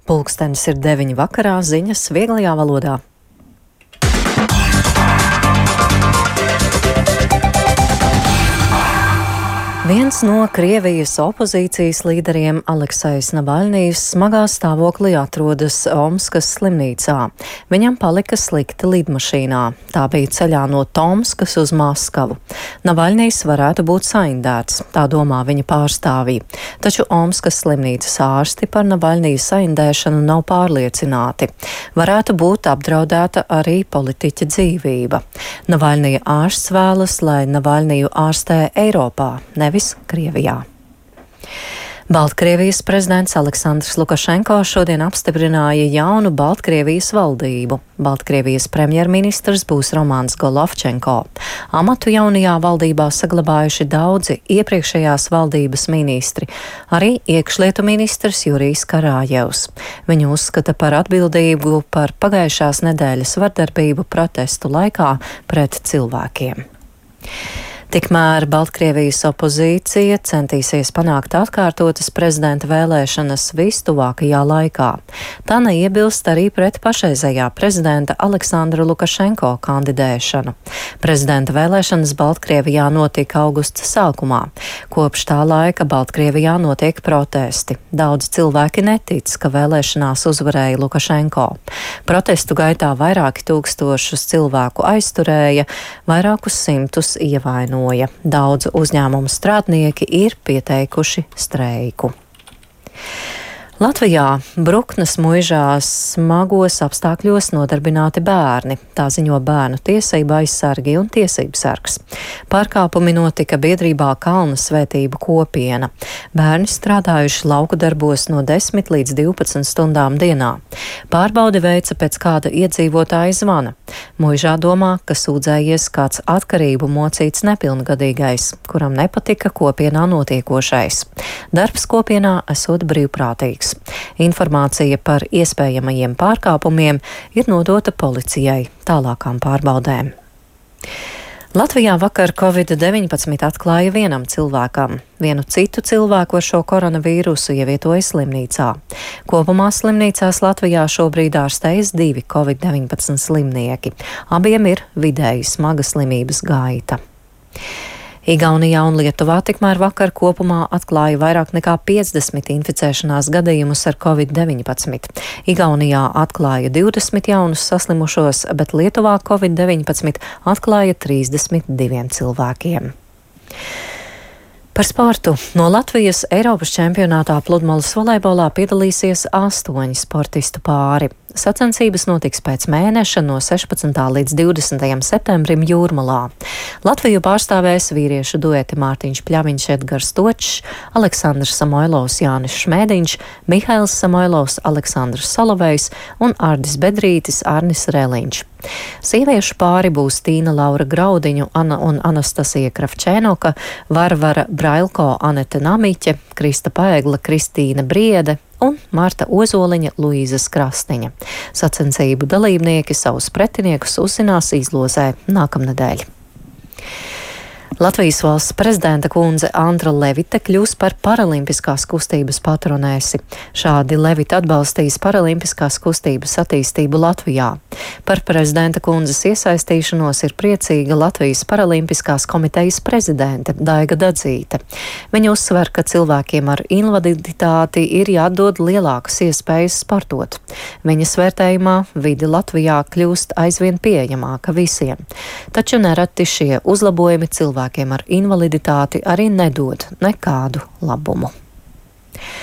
Pulkstenis ir 9 vakarā, ziņas vieglajā valodā. Viens no Krievijas opozīcijas līderiem, Aleksejs Navaļnijs, smagā stāvoklī atrodas Omskas slimnīcā. Viņam palika slikti lidmašīnā. Tā bija ceļā no Tomskas uz Maskavu. Navaļnijs varētu būt saindēts, tā domā viņa pārstāvji. Taču Omskas slimnīcas ārsti par Navaļnija saindēšanu nav pārliecināti. Varētu būt apdraudēta arī politiķa dzīvība. Navaļnija ārsts vēlas, lai Navaļniju ārstē Eiropā, nevis Krievijā. Baltkrievijas prezidents Aleksandrs Lukašenko šodien apstiprināja jaunu Baltkrievijas valdību. Baltkrievijas premjerministrs būs Romans Golovčenko. Amatu jaunajā valdībā saglabājuši daudzi iepriekšējās valdības ministri, arī iekšlietu ministrs Jurijs Karājevs. Viņu uzskata par atbildību par pagājušās nedēļas vardarbību protestu laikā pret cilvēkiem. Tikmēr Baltkrievijas opozīcija centīsies panākt atkārtotas prezidenta vēlēšanas vistuvākajā laikā. Tā neiebilst arī pret pašreizējā prezidenta Aleksandra Lukašenko kandidēšanu. Prezidenta vēlēšanas Baltkrievijā notika augusta sākumā. Kopš tā laika Baltkrievijā notiek protesti. Daudz cilvēki netic, ka vēlēšanās uzvarēja Lukašenko. Protestu gaitā vairāki tūkstošus cilvēku aizturēja, vairākus simtus ievainoja. Daudzu uzņēmumu strādnieki ir pieteikuši streiku. Latvijā Bruknes muižā smagos apstākļos nodarbināti bērni. Tā ziņo Bērnu tiesību aizsargi un tiesību sargs. Pārkāpumi notika biedrībā Kalna svētību kopiena. Bērni strādājuši lauku darbos no 10 līdz 12 stundām dienā. Pārbaudi veica pēc kāda iedzīvotāja zvana. Muižā domā, ka sūdzējies kāds atkarību mocīts nepilngadīgais, kuram nepatika kopienā notiekošais. Darbs kopienā esot brīvprātīgs. Informācija par iespējamajiem pārkāpumiem ir nodota policijai tālākām pārbaudēm. Latvijā vakar Covid-19 atklāja vienam cilvēkam. Vienu citu cilvēku ar šo koronavīrusu ievietoja slimnīcā. Kopumā slimnīcās Latvijā šobrīd ārstējas 2 Covid-19 slimnieki. Abiem ir vidēji smaga slimības gaita. Igaunijā un Lietuvā tikmēr vakar kopumā atklāja vairāk nekā 50 inficēšanās gadījumus ar Covid-19. Igaunijā atklāja 20 jaunus saslimušos, bet Lietuvā Covid-19 atklāja 32 cilvēkiem. Par sportu. No Latvijas Eiropas čempionātā pludmales volejbolā piedalīsies 8 sportistu pāri. Sacensības notiks pēc mēneša no 16. līdz 20. septembrim Jūrmalā. Latviju pārstāvēs vīriešu dueti Mārtiņš Pļaviņš, Edgars Točs, Aleksandrs Samoilovs, Jānis Šmēdiņš, Mihails Samoilovs, Aleksandrs Solovejs un Ardis Bedrītis, Arnis Rēliņš. Sieviešu pāri būs Tīna Laura Graudiņu un Anastasija Kravčēnoka, Varvara Brailko, Anete Namiķe, Krista Paegla, Kristīna Briede un Marta Ozoliņa, Luīzes Krastiņa. Sacensību dalībnieki savus pretiniekus uzzinās izlozē nākamnedēļ. Latvijas valsts prezidenta kundze Andra Levite kļūs par paralimpiskās kustības patronēsi. Šādi Levite atbalstīs paralimpiskās kustības attīstību Latvijā. Par prezidenta kundzes iesaistīšanos ir priecīga Latvijas paralimpiskās komitejas prezidente Daiga Dadzīte. Viņa uzsver, ka cilvēkiem ar invaliditāti ir jādod lielākas iespējas sportot. Viņas vērtējumā vide Latvijā kļūst aizvien pieejamāka visiem. Taču nereti šie uzlabojumi cilvēkiem ar invaliditāti arī nedod nekādu labumu.